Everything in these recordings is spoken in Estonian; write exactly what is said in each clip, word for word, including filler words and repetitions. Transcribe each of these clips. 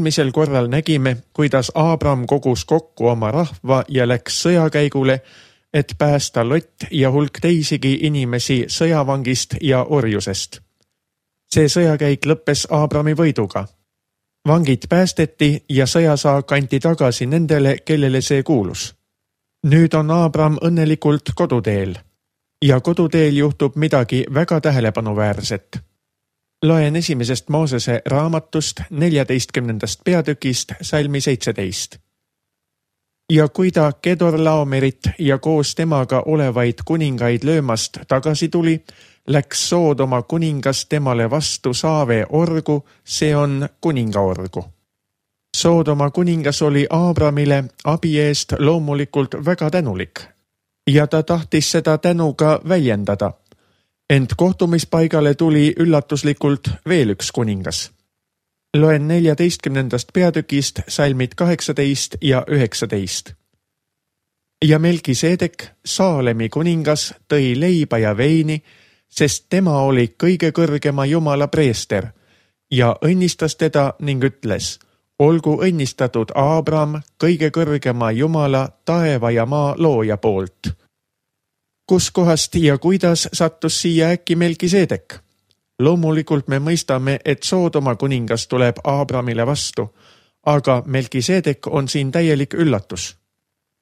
eelmisel korral nägime, kuidas Aabram kogus kokku oma rahva ja läks sõjakäigule, et päästa Lott ja hulk teisigi inimesi sõjavangist ja orjusest. See sõjakäik lõppes Aabrami võiduga. Vangid päästeti ja sõjasaak anti tagasi nendele, kellele see kuulus. Nüüd on Aabram õnnelikult koduteel ja koduteel juhtub midagi väga tähelepanuväärset. Loen esimesest Moosese raamatust neljateistkümnendast peatükist salmi seitseteist. Ja kui ta Kedorlaomerit ja koos temaga olevaid kuningaid löömast tagasi tuli, läks Soodoma kuningas temale vastu Saave orgu, see on kuningaorgu. Soodoma kuningas oli Aabramile abi eest loomulikult väga tänulik ja ta tahtis seda tänu ka väljendada. Ent kohtumispaigale tuli üllatuslikult veel üks kuningas. Loen neljateistkümnendast peatükist salmid kaheksateist ja üheksateist. Ja Melkisedek, Saalemi kuningas, tõi leiba ja veini, sest tema oli kõige kõrgema Jumala preester ja õnnistas teda ning ütles, olgu õnnistatud Aabram kõige kõrgema Jumala taeva ja maa looja poolt. Kus kohast ja kuidas sattus siia äkki Melkisedek? Loomulikult me mõistame, et Soodoma kuningas tuleb Aabramile vastu, aga Melkisedek on siin täielik üllatus.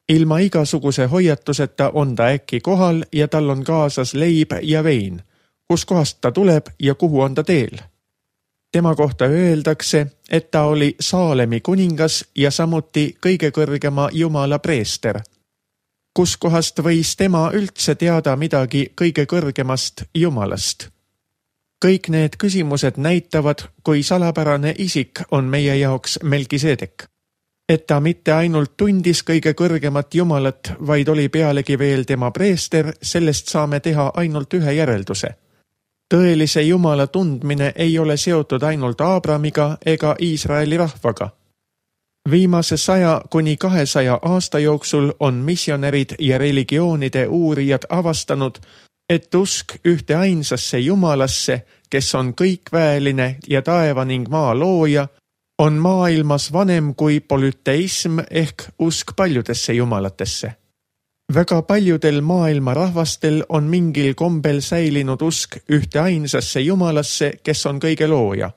Ilma igasuguse hoiatuseta on ta äkki kohal ja tal on kaasas leib ja vein. Kus kohast ta tuleb ja kuhu on ta teel? Tema kohta öeldakse, et ta oli Saalemi kuningas ja samuti kõige kõrgema Jumala preester. Kus kohast võis tema üldse teada midagi kõige kõrgemast Jumalast? Kõik need küsimused näitavad, kui salapärane isik on meie jaoks Melkisedek. Et ta mitte ainult tundis kõige kõrgemat Jumalat, vaid oli pealegi veel tema preester, sellest saame teha ainult ühe järelduse. Tõelise Jumala tundmine ei ole seotud ainult Aabramiga ega Iisraeli rahvaga. Viimase saja kuni kahesaja aasta jooksul on missionärid ja religioonide uurijad avastanud, et usk ühte ainsasse Jumalasse, kes on kõikväeline ja taeva ning maa looja, on maailmas vanem kui polüteism ehk usk paljudesse jumalatesse. Väga paljudel maailma rahvastel on mingil kombel säilinud usk ühte ainsasse Jumalasse, kes on kõige looja.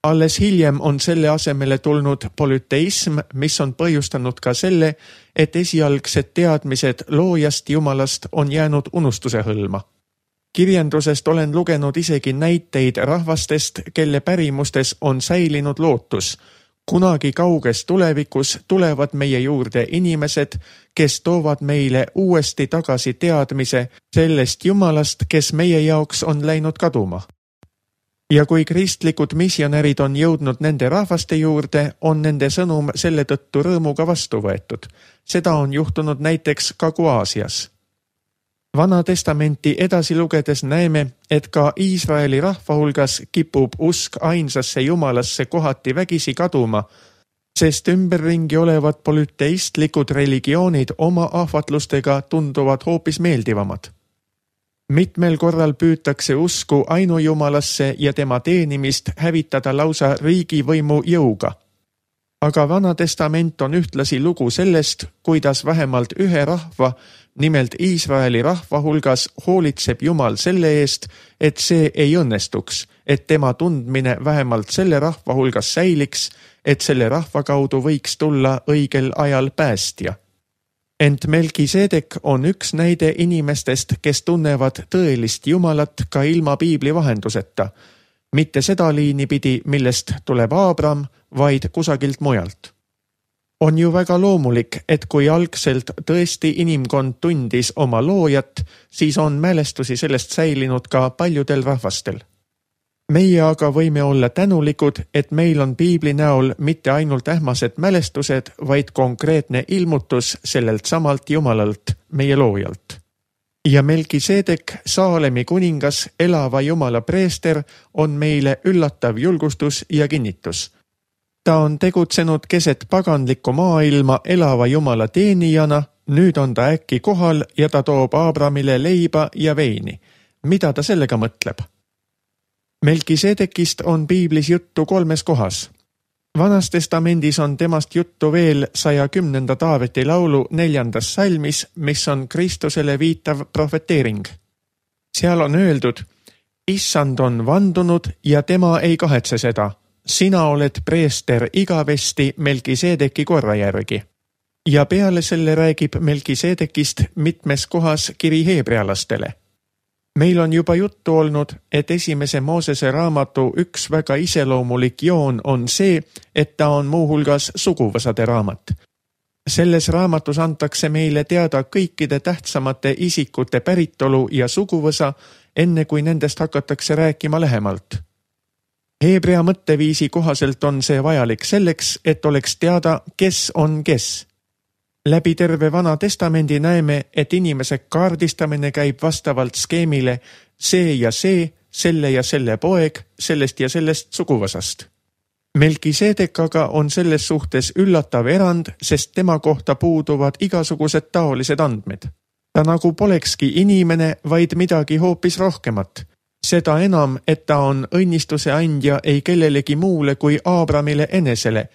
Alles hiljem on selle asemele tulnud polüteism, mis on põhjustanud ka selle, et esialgsed teadmised loojast Jumalast on jäänud unustuse hõlma. Kirjandusest olen lugenud isegi näiteid rahvastest, kelle pärimustes on säilinud lootus. Kunagi kauges tulevikus tulevad meie juurde inimesed, kes toovad meile uuesti tagasi teadmise sellest Jumalast, kes meie jaoks on läinud kaduma. Ja kui kristlikud missionärid on jõudnud nende rahvaste juurde, on nende sõnum selle tõttu rõõmuga vastu võetud. Seda on juhtunud näiteks Kagu-Aasias. Vana testamenti edasi lugedes näeme, et ka Iisraeli rahva hulgas kipub usk ainsasse Jumalasse kohati vägisi kaduma, sest ümberringi olevad polüteistlikud religioonid oma ahvatlustega tunduvad hoopis meeldivamad. Mitmel korral püütakse usku ainujumalasse ja tema teenimist hävitada lausa riigivõimu jõuga. Aga Vana testament on ühtlasi lugu sellest, kuidas vähemalt ühe rahva, nimelt Iisraeli rahva hulgas hoolitseb Jumal selle eest, et see ei õnnestuks, et tema tundmine vähemalt selle rahva hulgas säiliks, et selle rahva kaudu võiks tulla õigel ajal päästja. Ent Melkisedek on üks näide inimestest, kes tunnevad tõelist Jumalat ka ilma piibli vahenduseta, mitte seda liini pidi, millest tuleb Aabram, vaid kusagilt mujalt. On ju väga loomulik, et kui algselt tõesti inimkond tundis oma loojat, siis on mälestusi sellest säilinud ka paljudel rahvastel. Meie aga võime olla tänulikud, et meil on piibli näol mitte ainult ähmased mälestused, vaid konkreetne ilmutus sellelt samalt Jumalalt, meie loojalt. Ja Melkisedek, Saalemi kuningas, elava Jumala preester, on meile üllatav julgustus ja kinnitus. Ta on tegutsenud keset paganlikku maailma elava Jumala teenijana, nüüd on ta äkki kohal ja ta toob Aabramile leiba ja veini. Mida ta sellega mõtleb? Melkisedekist on piiblis juttu kolmes kohas. Vanas testamendis on temast juttu veel saja kümnenda Taaveti laulu neljandas salmis, mis on Kristusele viitav profeteering. Seal on öeldud: Issand on vandunud ja tema ei kahetse seda. Sina oled preester igavesti Melkisedeki korra järgi. Ja peale selle räägib Melkisedekist mitmes kohas kiri heebrealastele. Meil on juba juttu olnud, et esimese Moosese raamatu üks väga iseloomulik joon on see, et ta on muuhulgas suguvõsade raamat. Selles raamatus antakse meile teada kõikide tähtsamate isikute päritolu ja suguvõsa, enne kui nendest hakatakse rääkima lähemalt. Heebrea mõtteviisi kohaselt on see vajalik selleks, et oleks teada, kes on kes. Läbi terve Vana Testamendi näeme, et inimese kaardistamine käib vastavalt skeemile see ja see, selle ja selle poeg, sellest ja sellest suguvõsast. Melkisedek aga on selles suhtes üllatav erand, sest tema kohta puuduvad igasugused taolised andmed. Ta nagu polekski inimene, vaid midagi hoopis rohkemat. Seda enam, et ta on õnnistuse andja ei kellelegi muule kui Aabramile enesele,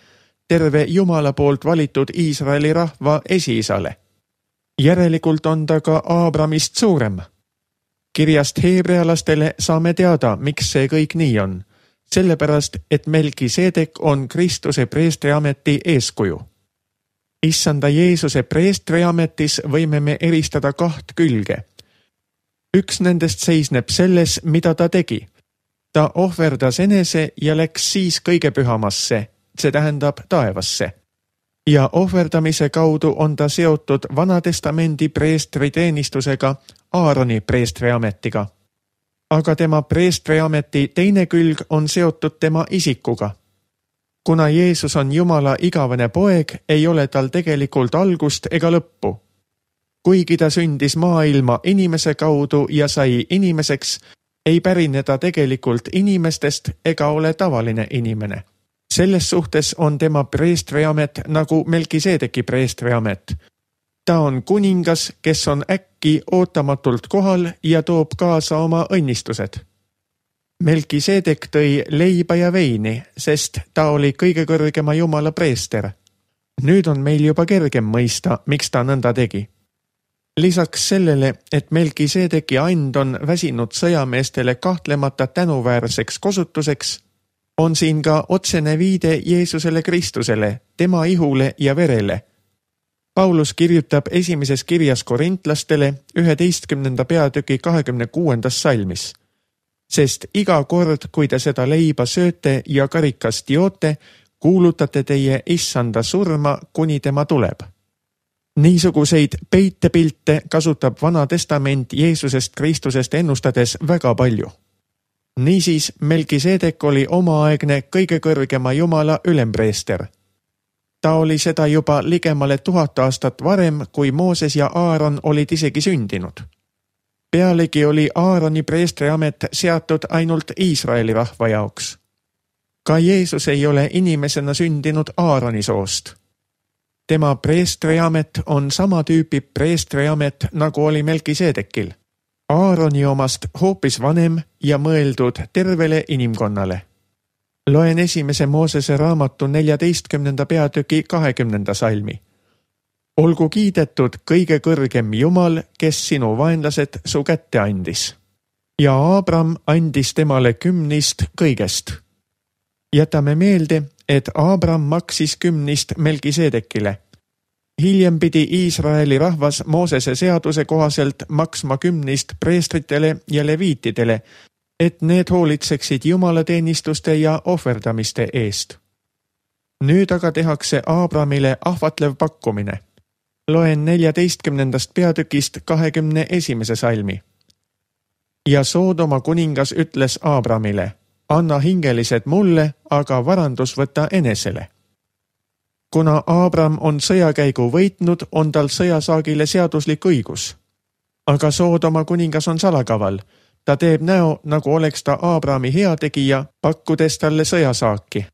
terve Jumala poolt valitud Iisraeli rahva esiisale. Järelikult on ta ka Aabramist suurem. Kirjast heebrealastele saame teada, miks see kõik nii on. Sellepärast, et Melkisedek on Kristuse preestriameti eeskuju. Issanda Jeesuse preestriametis võime me eristada kaht külge. Üks nendest seisneb selles, mida ta tegi. Ta ohverdas enese ja läks siis kõige pühamasse, see tähendab taevasse. Ja ohverdamise kaudu on ta seotud Vana Testamendi preestri teenistusega, Aaroni preestriametiga. Aga tema preestriameti teine külg on seotud tema isikuga. Kuna Jeesus on Jumala igavene poeg, ei ole tal tegelikult algust ega lõppu. Kuigi ta sündis maailma inimese kaudu ja sai inimeseks, ei pärine ta tegelikult inimestest ega ole tavaline inimene. Selles suhtes on tema preestriamet nagu Melkisedeki preestriamet. Ta on kuningas, kes on äkki ootamatult kohal ja toob kaasa oma õnnistused. Melkisedek tõi leiba ja veini, sest ta oli kõige kõrgema Jumala preester. Nüüd on meil juba kergem mõista, miks ta nõnda tegi. Lisaks sellele, et Melkisedeki and on väsinud sõjameestele kahtlemata tänuväärseks kosutuseks, on siin ka otsene viide Jeesusele Kristusele, tema ihule ja verele. Paulus kirjutab esimeses kirjas korintlastele üheteistkümnenda peatüki kahekümne kuuendas salmis. Sest iga kord, kui te seda leiba sööte ja karikast joote, kuulutate teie issanda surma, kuni tema tuleb. Niisuguseid peitepilte kasutab Vana Testament Jeesusest Kristusest ennustades väga palju. Niisiis, Melkisedek oli omaaegne kõige kõrgema Jumala ülempreester. Ta oli seda juba ligemale tuhat aastat varem, kui Mooses ja Aaron olid isegi sündinud. Pealegi oli Aaroni preestriamet seatud ainult Iisraeli rahva jaoks. Ka Jeesus ei ole inimesena sündinud Aaroni soost. Tema preestriamet on sama tüüpi preestriamet, nagu oli Melkisedekil. Aaroni omast hoopis vanem ja mõeldud tervele inimkonnale. Loen esimese Moosese raamatu neljateistkümnenda peatüki kahekümnenda salmi. Olgu kiidetud kõige kõrgem Jumal, kes sinu vaenlased su kätte andis. Ja Aabram andis temale kümnist kõigest. Jätame meelde, et Aabram maksis kümnist Melkisedekile. Hiljem pidi Iisraeli rahvas Moosese seaduse kohaselt maksma kümnist preestritele ja leviitidele, et need hoolitseksid jumalateenistuste ja ohverdamiste eest. Nüüd aga tehakse Aabramile ahvatlev pakkumine. Loen neljateistkümnendast peatükist kahekümne esimese salmi. Ja Soodoma kuningas ütles Aabramile: anna hingelised mulle, aga varandus võta enesele. Kuna Aabram on sõjakäigu võitnud, on tal sõjasaagile seaduslik õigus. Aga Soodoma kuningas on salakaval. Ta teeb näo, nagu oleks ta Aabrami heategija, pakkudes talle sõjasaaki.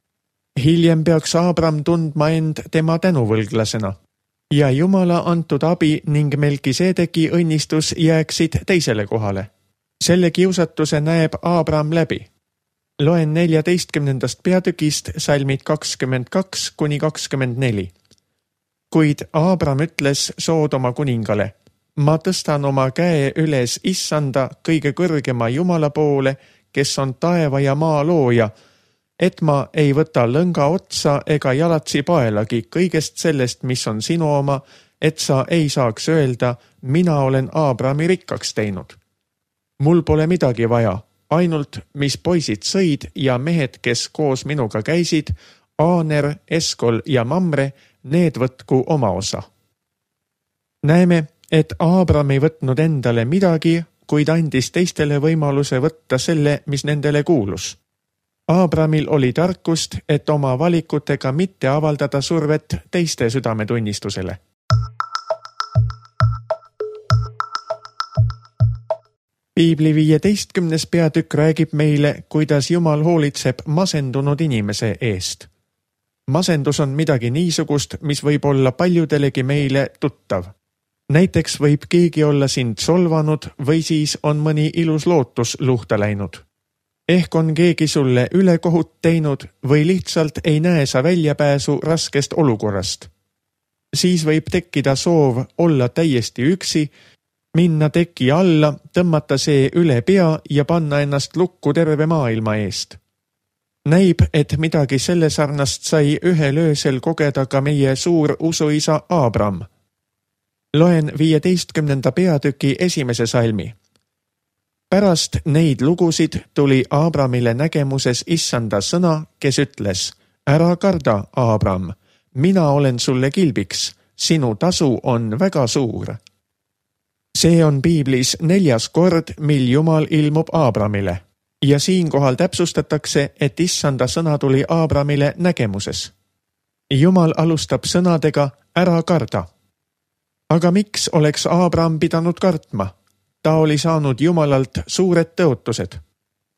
Hiljem peaks Aabram tundma end tema tänuvõlglasena. Ja Jumala antud abi ning Melkisedeki õnnistus jääksid teisele kohale. Selle kiusatuse näeb Aabram läbi. Loen neljateistkümnendast peatükist salmid kakskümmend kaks kuni kakskümmend neli. Kuid Aabram ütles Soodoma kuningale, ma tõstan oma käe üles issanda kõige kõrgema Jumala poole, kes on taeva ja maa looja, et ma ei võta lõnga otsa ega jalatsi paelagi kõigest sellest, mis on sinu oma, et sa ei saaks öelda, mina olen Aabrami rikkaks teinud. Mul pole midagi vaja, ainult mis poisid sõid ja mehed, kes koos minuga käisid, Aaner, Eskol ja Mamre, need võtku oma osa. Näeme, et Aabram ei võtnud endale midagi, kuid andis teistele võimaluse võtta selle, mis nendele kuulus. Aabramil oli tarkust, et oma valikutega mitte avaldada survet teiste südametunnistusele. Piibli viieteistkümnes peatükk räägib meile, kuidas Jumal hoolitseb masendunud inimese eest. Masendus on midagi niisugust, mis võib olla paljudelegi meile tuttav. Näiteks võib keegi olla sind solvanud või siis on mõni ilus lootus luhta läinud. Ehk on keegi sulle ülekohut teinud või lihtsalt ei näe sa väljapääsu raskest olukorrast. Siis võib tekkida soov olla täiesti üksi, minna teki alla, tõmmata see üle pea ja panna ennast lukku terve maailma eest. Näib, et midagi selle sarnast sai ühel öösel kogeda ka meie suur usuisa Aabram. Loen viieteistkümnenda peatüki esimese salmi. Pärast neid lugusid tuli Aabramile nägemuses issanda sõna, kes ütles, ära karda, Aabram, mina olen sulle kilbiks, sinu tasu on väga suur. See on Piiblis neljas kord, mil Jumal ilmub Aabramile ja siinkohal täpsustatakse, et issanda sõna tuli Aabramile nägemuses. Jumal alustab sõnadega ära karda. Aga miks oleks Aabram pidanud kartma? Ta oli saanud Jumalalt suured tõotused.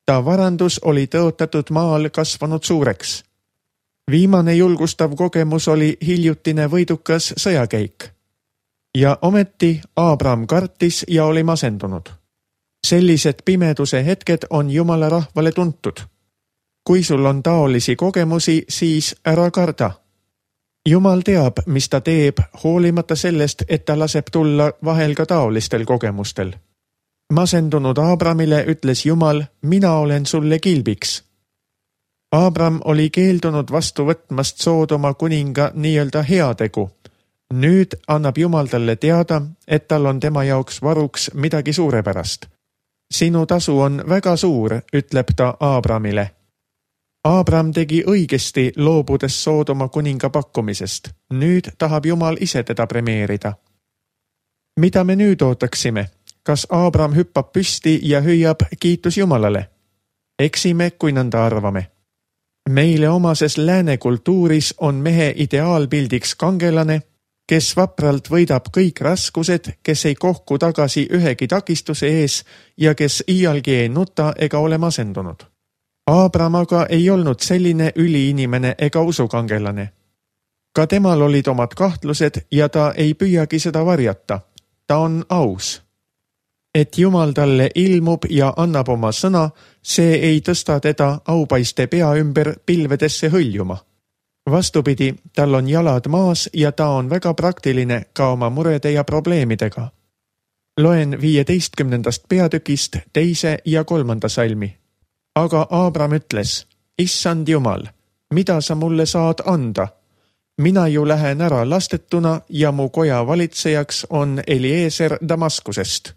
Ta varandus oli tõotatud maal kasvanud suureks. Viimane julgustav kogemus oli hiljutine võidukas sõjakäik. Ja ometi Aabram kartis ja oli masendunud. Sellised pimeduse hetked on Jumala rahvale tuntud. Kui sul on taolisi kogemusi, siis ära karda. Jumal teab, mis ta teeb, hoolimata sellest, et ta laseb tulla vahel ka taolistel kogemustel. Masendunud Aabramile ütles Jumal, mina olen sulle kilbiks. Aabram oli keeldunud vastu võtmast Soodoma kuninga nii-öelda heategu. Nüüd annab Jumal talle teada, et tal on tema jaoks varuks midagi suurepärast. Sinu tasu on väga suur, ütleb ta Aabramile. Aabram tegi õigesti loobudes Soodoma kuninga pakkumisest. Nüüd tahab Jumal ise teda premeerida. Mida me nüüd ootaksime? Kas Aabram hüppab püsti ja hüüab kiitus Jumalale? Eksime, kui nõnda arvame. Meile omases lääne kultuuris on mehe ideaalpildiks kangelane, kes vapralt võidab kõik raskused, kes ei kohku tagasi ühegi takistuse ees ja kes iialgi ei nuta ega ole masendunud. Aabram aga ei olnud selline üliinimene ega usukangelane. Ka temal olid omad kahtlused ja ta ei püüagi seda varjata. Ta on aus. Et Jumal talle ilmub ja annab oma sõna, see ei tõsta teda aupaiste pea ümber pilvedesse hõljuma. Vastupidi, tal on jalad maas ja ta on väga praktiline ka oma murede ja probleemidega. Loen viieteistkümnendast peatükist teise ja kolmanda salmi. Aga Aabram ütles, issand Jumal, mida sa mulle saad anda? Mina ju lähen ära lastetuna ja mu koja valitsejaks on Eliezer Damaskusest.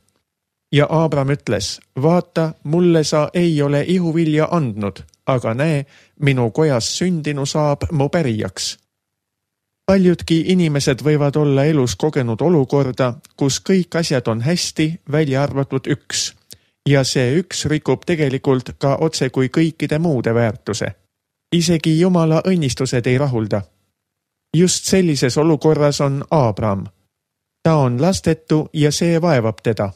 Ja Aabram ütles, vaata, mulle sa ei ole ihuvilja andnud, aga näe, minu kojas sündinu saab mu pärijaks. Paljudki inimesed võivad olla elus kogenud olukorda, kus kõik asjad on hästi, välja arvatud üks. Ja see üks rikub tegelikult ka otse kui kõikide muude väärtuse. Isegi Jumala õnnistused ei rahulda. Just sellises olukorras on Aabram. Ta on lastetu ja see vaevab teda.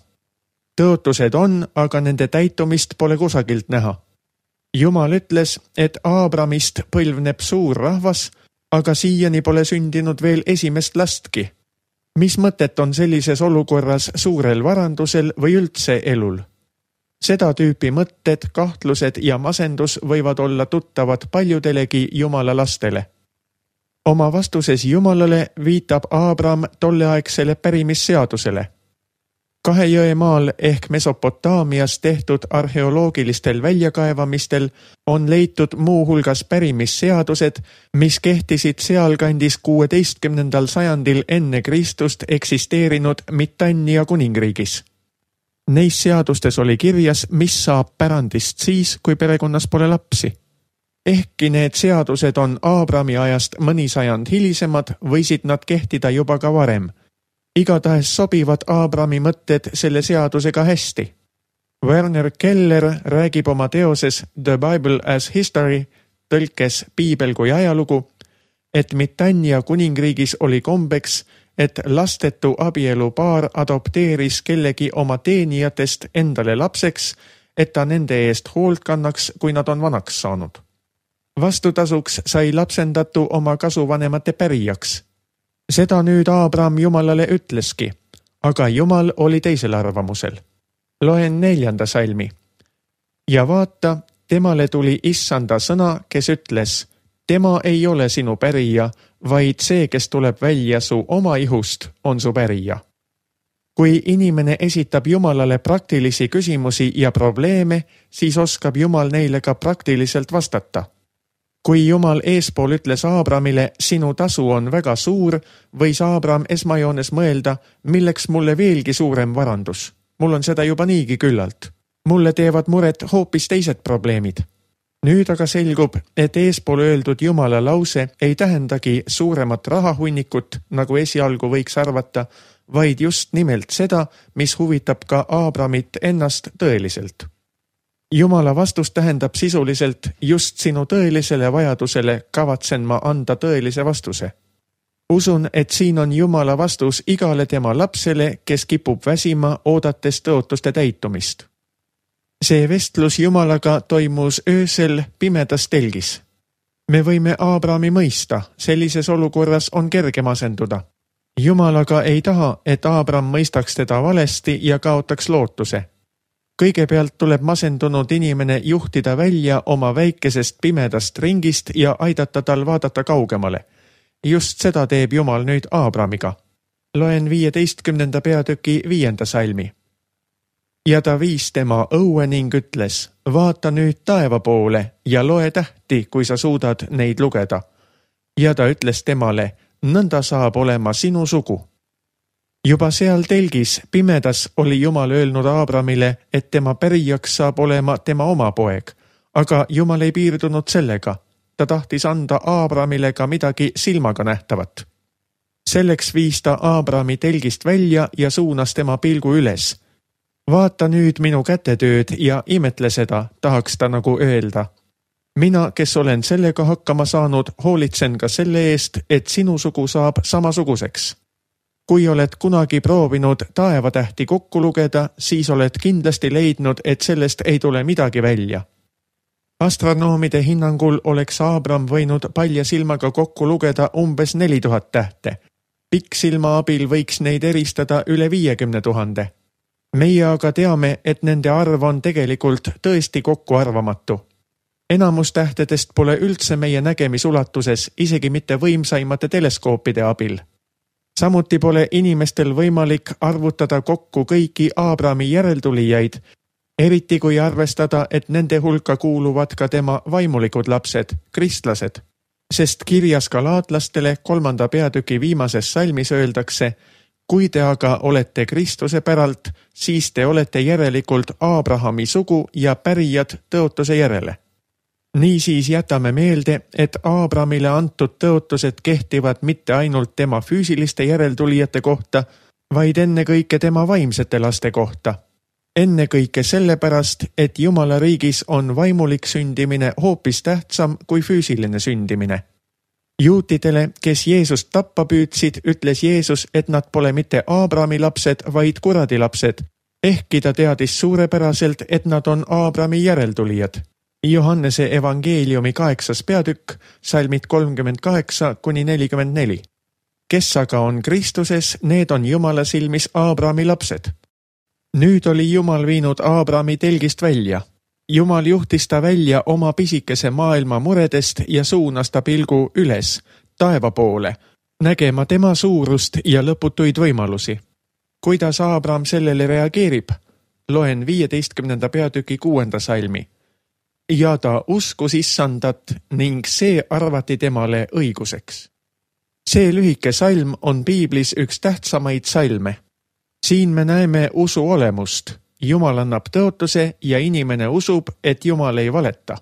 Tõotused on, aga nende täitumist pole kusagilt näha. Jumal ütles, et Aabramist põlvneb suur rahvas, aga siiani pole sündinud veel esimest lastki. Mis mõtet on sellises olukorras suurel varandusel või üldse elul? Seda tüüpi mõtted, kahtlused ja masendus võivad olla tuttavad paljudelegi Jumala lastele. Oma vastuses Jumalale viitab Aabram tolleaegsele pärimisseadusele. Kahe jõe maal ehk Mesopotaamias tehtud arheoloogilistel väljakaevamistel on leitud muuhulgas pärimisseadused, mis kehtisid sealkandis kuueteistkümnendal sajandil enne Kristust eksisteerinud Mitannia kuningriigis. Neis seadustes oli kirjas, mis saab pärandist siis, kui perekonnas pole lapsi. Ehkki need seadused on Aabrami ajast mõni sajand hilisemad, võisid nad kehtida juba ka varem. Igatahes sobivad Aabrami mõtted selle seadusega hästi. Werner Keller räägib oma teoses The Bible as History, tõlkes Piibel kui ajalugu, et Mitannia kuningriigis oli kombeks, et lastetu abielupaar adopteeris kellegi oma teenijatest endale lapseks, et ta nende eest hoolt kannaks, kui nad on vanaks saanud. Vastutasuks sai lapsendatu oma kasuvanemate pärijaks. Seda nüüd Aabram Jumalale ütleski, aga Jumal oli teisel arvamusel. Loen neljanda salmi. Ja vaata, temale tuli issanda sõna, kes ütles, tema ei ole sinu pärija, vaid see, kes tuleb välja su oma ihust, on su pärija. Kui inimene esitab Jumalale praktilisi küsimusi ja probleeme, siis oskab Jumal neile ka praktiliselt vastata. Kui Jumal eespool ütles Aabramile, sinu tasu on väga suur, võis Aabram esmajoones mõelda, milleks mulle veelgi suurem varandus. Mul on seda juba niigi küllalt. Mulle teevad muret hoopis teised probleemid. Nüüd aga selgub, et eespool öeldud Jumala lause ei tähendagi suuremat rahahunnikut, nagu esialgu võiks arvata, vaid just nimelt seda, mis huvitab ka Aabramit ennast tõeliselt. Jumala vastus tähendab sisuliselt just sinu tõelisele vajadusele kavatsen ma anda tõelise vastuse. Usun, et siin on Jumala vastus igale tema lapsele, kes kipub väsima, oodates tõotuste täitumist. See vestlus Jumalaga toimus öösel pimedas telgis. Me võime Aabrami mõista, sellises olukorras on kerge masenduda. Jumalaga ei taha, et Aabram mõistaks teda valesti ja kaotaks lootuse. Kõigepealt tuleb masendunud inimene juhtida välja oma väikesest pimedast ringist ja aidata tal vaadata kaugemale. Just seda teeb Jumal nüüd Aabramiga. Loen viieteistkümnenda peatüki viienda salmi. Ja ta viis tema õue ning ütles, vaata nüüd taeva poole ja loe tähti, kui sa suudad neid lugeda. Ja ta ütles temale, nõnda saab olema sinu sugu. Juba seal telgis pimedas oli Jumal öelnud Aabramile, et tema pärijaks saab olema tema oma poeg, aga Jumal ei piirdunud sellega. Ta tahtis anda Aabramile ka midagi silmaga nähtavat. Selleks viis ta Aabrami telgist välja ja suunas tema pilgu üles. Vaata nüüd minu kätetööd ja imetle seda, tahaks ta nagu öelda. Mina, kes olen sellega hakkama saanud, hoolitsen ka selle eest, et sinu sugu saab samasuguseks. Kui oled kunagi proovinud taevatähti kokku lugeda, siis oled kindlasti leidnud, et sellest ei tule midagi välja. Astronoomide hinnangul oleks Aabram võinud palja silmaga kokku lugeda umbes neli tuhat tähte. Pikksilma abil võiks neid eristada üle viiekümne tuhande. Meie aga teame, et nende arv on tegelikult tõesti kokku arvamatu. Enamus tähtedest pole üldse meie nägemisulatuses, isegi mitte võimsaimate teleskoopide abil. Samuti pole inimestel võimalik arvutada kokku kõiki Aabrami järeltulijaid, eriti kui arvestada, et nende hulka kuuluvad ka tema vaimulikud lapsed, kristlased. Sest kirjas galaatlastele kolmanda peatüki viimases salmis öeldakse, kui te aga olete Kristuse päralt, siis te olete järelikult Aabrahami sugu ja pärijad tõotuse järele. Niisiis jätame meelde, et Aabramile antud tõotused kehtivad mitte ainult tema füüsiliste järeltulijate kohta, vaid ennekõike tema vaimsete laste kohta. Ennekõike sellepärast, et Jumala riigis on vaimulik sündimine hoopis tähtsam kui füüsiline sündimine. Juutidele, kes Jeesust tappa püüdsid, ütles Jeesus, et nad pole mitte Aabrami lapsed, vaid kuradi lapsed, ehkki ta teadis suurepäraselt, et nad on Aabrami järeltulijad. Johannese evangeeliumi kaheksas peatükk, salmid kolmkümmend kaheksa kuni nelikümmend neli. Kes aga on Kristuses, need on Jumala silmis Aabrami lapsed. Nüüd oli Jumal viinud Aabrami telgist välja. Jumal juhtis ta välja oma pisikese maailma muredest ja suunas ta pilgu üles, taeva poole, nägema tema suurust ja lõputuid võimalusi. Kuidas Aabram sellele reageerib? Loen viieteistkümnenda peatüki kuuenda salmi. Ja ta uskus issandat ning see arvati temale õiguseks. See lühike salm on piiblis üks tähtsamaid salme. Siin me näeme usu olemust. Jumal annab tõotuse ja inimene usub, et Jumal ei valeta.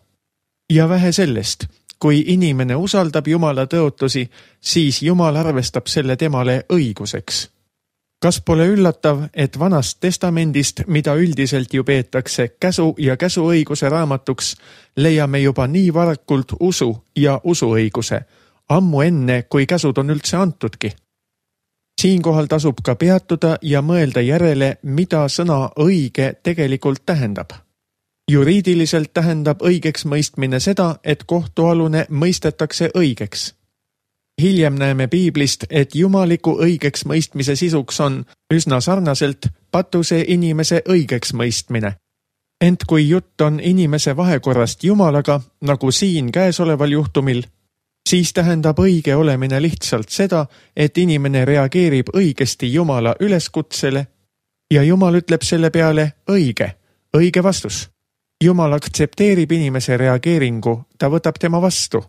Ja vähe sellest, kui inimene usaldab Jumala tõotusi, siis Jumal arvestab selle temale õiguseks. Kas pole üllatav, et vanast testamendist, mida üldiselt ju peetakse käsu ja käsuõiguse raamatuks, leiame juba nii varakult usu ja usuõiguse, ammu enne, kui käsud on üldse antudki. Siinkohal tasub ka peatuda ja mõelda järele, mida sõna õige tegelikult tähendab. Juriidiliselt tähendab õigeks mõistmine seda, et kohtualune mõistetakse õigeks. Hiljem näeme piiblist, et jumaliku õigeks mõistmise sisuks on üsna sarnaselt patuse inimese õigeks mõistmine. Ent kui jutt on inimese vahekorrast Jumalaga, nagu siin käesoleval juhtumil, siis tähendab õige olemine lihtsalt seda, et inimene reageerib õigesti Jumala üleskutsele ja Jumal ütleb selle peale õige, õige vastus. Jumal aktsepteerib inimese reageeringu, ta võtab tema vastu.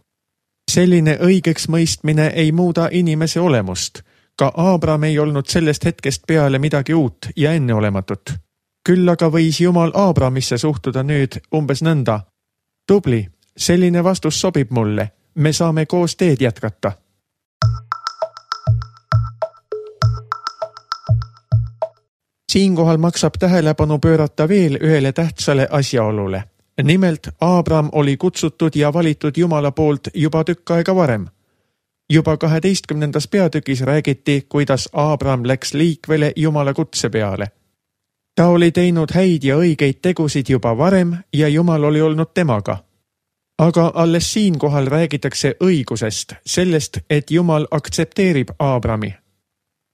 Selline õigeks mõistmine ei muuda inimese olemust. Ka Aabram ei olnud sellest hetkest peale midagi uut ja enneolematut. Küll aga võis Jumal Aabramisse suhtuda nüüd umbes nõnda. Tubli, selline vastus sobib mulle. Me saame koos teed jätkata. Siinkohal maksab tähelepanu pöörata veel ühele tähtsale asjaolule. Nimelt, Aabram oli kutsutud ja valitud Jumala poolt juba tükk aega varem. Juba kaheteistkümnendas peatükis räägiti, kuidas Aabram läks liikvele Jumala kutse peale. Ta oli teinud häid ja õigeid tegusid juba varem ja Jumal oli olnud temaga. Aga alles siinkohal räägitakse õigusest, sellest, et Jumal aktsepteerib Aabrami.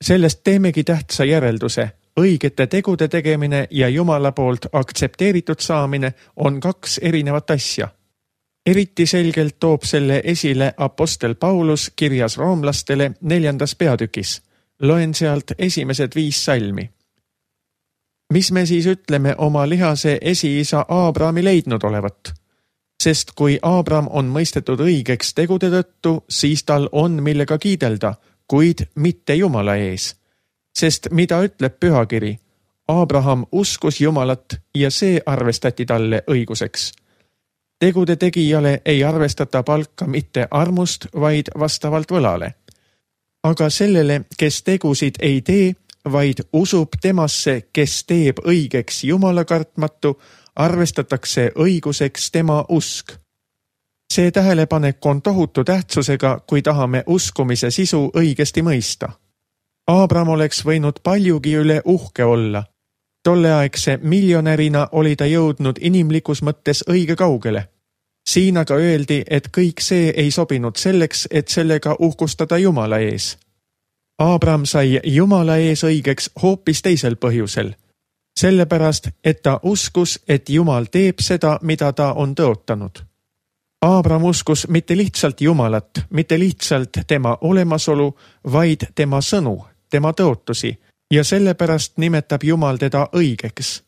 Sellest teemegi tähtsa järelduse. Õigete tegude tegemine ja Jumala poolt aktsepteeritud saamine on kaks erinevat asja. Eriti selgelt toob selle esile apostel Paulus kirjas roomlastele neljandas peatükis. Loen sealt esimesed viis salmi. Mis me siis ütleme oma lihase esiisa Aabrami leidnud olevat? Sest kui Aabram on mõistetud õigeks tegude tõttu, siis tal on millega kiidelda, kuid mitte Jumala ees. Sest mida ütleb pühakiri? Abraham uskus Jumalat ja see arvestati talle õiguseks. Tegude tegijale ei arvestata palka mitte armust, vaid vastavalt võlale. Aga sellele, kes tegusid ei tee, vaid usub temasse, kes teeb õigeks Jumala kartmatu, arvestatakse õiguseks tema usk. See tähelepanek on tohutu tähtsusega, kui tahame uskumise sisu õigesti mõista. Aabram oleks võinud paljugi üle uhke olla. Tolleaegse miljonärina oli ta jõudnud inimlikus mõttes õige kaugele. Siin aga öeldi, et kõik see ei sobinud selleks, et sellega uhkustada Jumala ees. Aabram sai Jumala ees õigeks hoopis teisel põhjusel. Sellepärast, et ta uskus, et Jumal teeb seda, mida ta on tõotanud. Aabram uskus mitte lihtsalt Jumalat, mitte lihtsalt tema olemasolu, vaid tema sõnu, tema tõotusi ja sellepärast nimetab Jumal teda õigeks.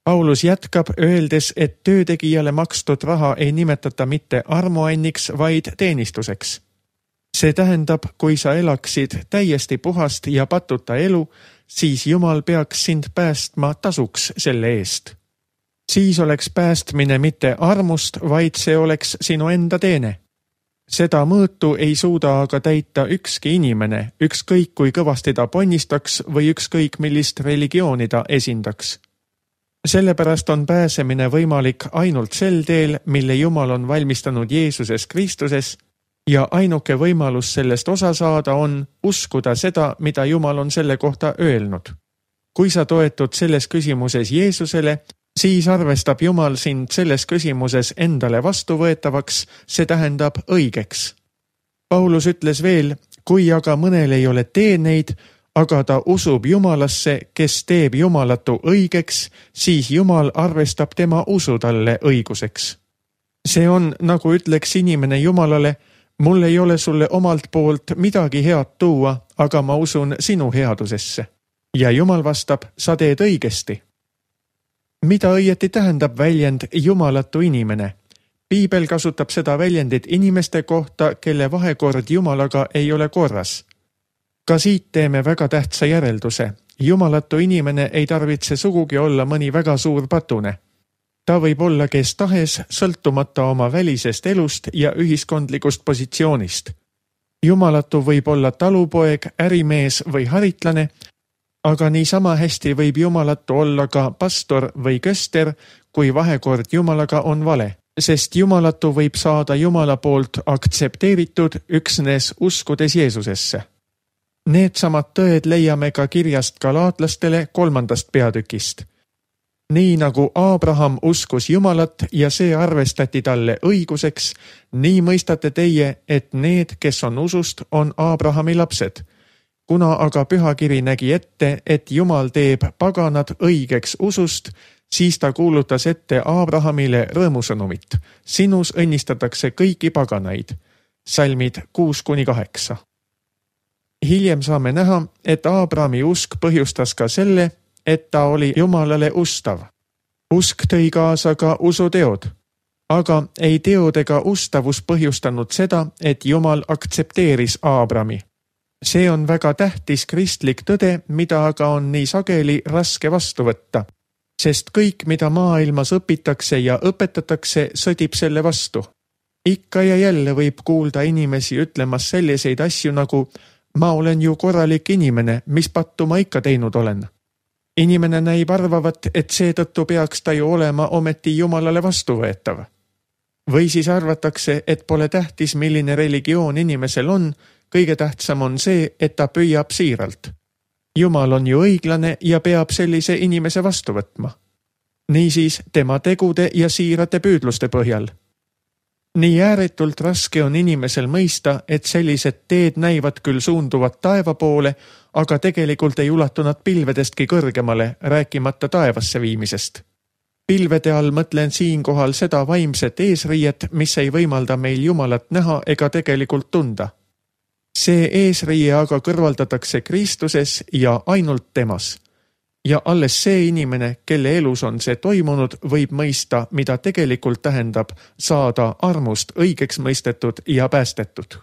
Paulus jätkab öeldes, et töötegijale makstud raha ei nimetata mitte armuanniks, vaid teenistuseks. See tähendab, kui sa elaksid täiesti puhast ja patuta elu, siis Jumal peaks sind päästma tasuks selle eest. Siis oleks päästmine mitte armust, vaid see oleks sinu enda teene. Seda mõõtu ei suuda aga täita ükski inimene, ükskõik kui kõvasti ta ponnistaks või ükskõik millist religiooni ta esindaks. Sellepärast on pääsemine võimalik ainult sel teel, mille Jumal on valmistanud Jeesuses Kristuses ja ainuke võimalus sellest osa saada on uskuda seda, mida Jumal on selle kohta öelnud. Kui sa toetud selles küsimuses Jeesusele, siis arvestab Jumal sind selles küsimuses endale vastuvõetavaks, see tähendab õigeks. Paulus ütles veel, kui aga mõnel ei ole teeneid, aga ta usub Jumalasse, kes teeb jumalatu õigeks, siis Jumal arvestab tema usu talle õiguseks. See on, nagu ütleks inimene Jumalale, mul ei ole sulle omalt poolt midagi head tuua, aga ma usun sinu headusesse. Ja Jumal vastab, sa teed õigesti. Mida õieti tähendab väljend jumalatu inimene? Piibel kasutab seda väljendit inimeste kohta, kelle vahekord Jumalaga ei ole korras. Ka siit teeme väga tähtsa järelduse. Jumalatu inimene ei tarvitse sugugi olla mõni väga suur patune. Ta võib olla kes tahes, sõltumata oma välisest elust ja ühiskondlikust positsioonist. Jumalatu võib olla talupoeg, ärimees või haritlane, aga niisama hästi võib jumalatu olla ka pastor või köster, kui vahekord Jumalaga on vale, sest jumalatu võib saada Jumala poolt aktsepteeritud üksnes uskudes Jeesusesse. Need samad tõed leiame ka kirjast galaatlastele kolmandast peatükist. Nii nagu Aabraham uskus Jumalat ja see arvestati talle õiguseks, nii mõistate teie, et need, kes on usust, on Aabrahami lapsed. Kuna aga pühakiri nägi ette, et Jumal teeb paganad õigeks usust, siis ta kuulutas ette Aabrahamile rõõmusõnumit. Sinus õnnistatakse kõiki paganaid. Salmid kuus kuni kaheksa. Hiljem saame näha, et Aabrahami usk põhjustas ka selle, et ta oli Jumalale ustav. Usk tõi kaasa ka usuteod, aga ei teod ega ustavus põhjustanud seda, et Jumal aktsepteeris Aabrami. See on väga tähtis kristlik tõde, mida aga on nii sageli raske vastu võtta, sest kõik, mida maailmas õpitakse ja õpetatakse, sõdib selle vastu. Ikka ja jälle võib kuulda inimesi ütlemas selliseid asju nagu ma olen ju korralik inimene, mis pattu ma ikka teinud olen. Inimene näib arvavat, et seetõttu peaks ta ju olema ometi Jumalale vastuvõetav. Või siis arvatakse, et pole tähtis, milline religioon inimesel on, kõige tähtsam on see, et ta püüab siiralt. Jumal on ju õiglane ja peab sellise inimese vastu võtma. Niisiis tema tegude ja siirate püüdluste põhjal. Nii ääretult raske on inimesel mõista, et sellised teed näivad küll suunduvat taeva poole, aga tegelikult ei ulatu nad pilvedestki kõrgemale, rääkimata taevasse viimisest. Pilvede all mõtlen siinkohal seda vaimset eesriiet, mis ei võimalda meil Jumalat näha ega tegelikult tunda. See eesriie aga kõrvaldatakse Kristuses ja ainult temas. Ja alles see inimene, kelle elus on see toimunud, võib mõista, mida tegelikult tähendab saada armust õigeks mõistetud ja päästetud.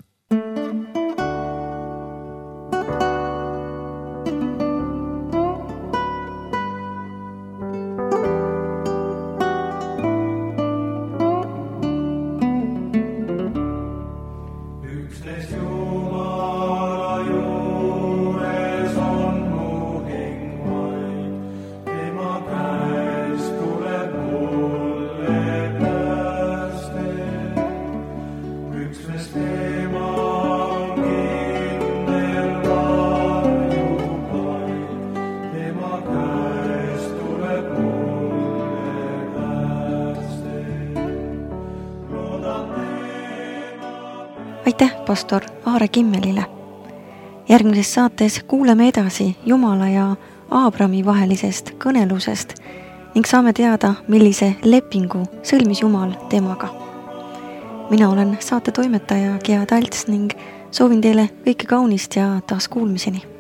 Aitäh pastor Aare Kimmelile. Järgmises saates kuuleme edasi Jumala ja Aabrami vahelisest kõnelusest ning saame teada, millise lepingu sõlmis Jumal temaga. Mina olen saate toimetaja Gea Talts ning soovin teile kõike kaunist ja taas kuulmiseni.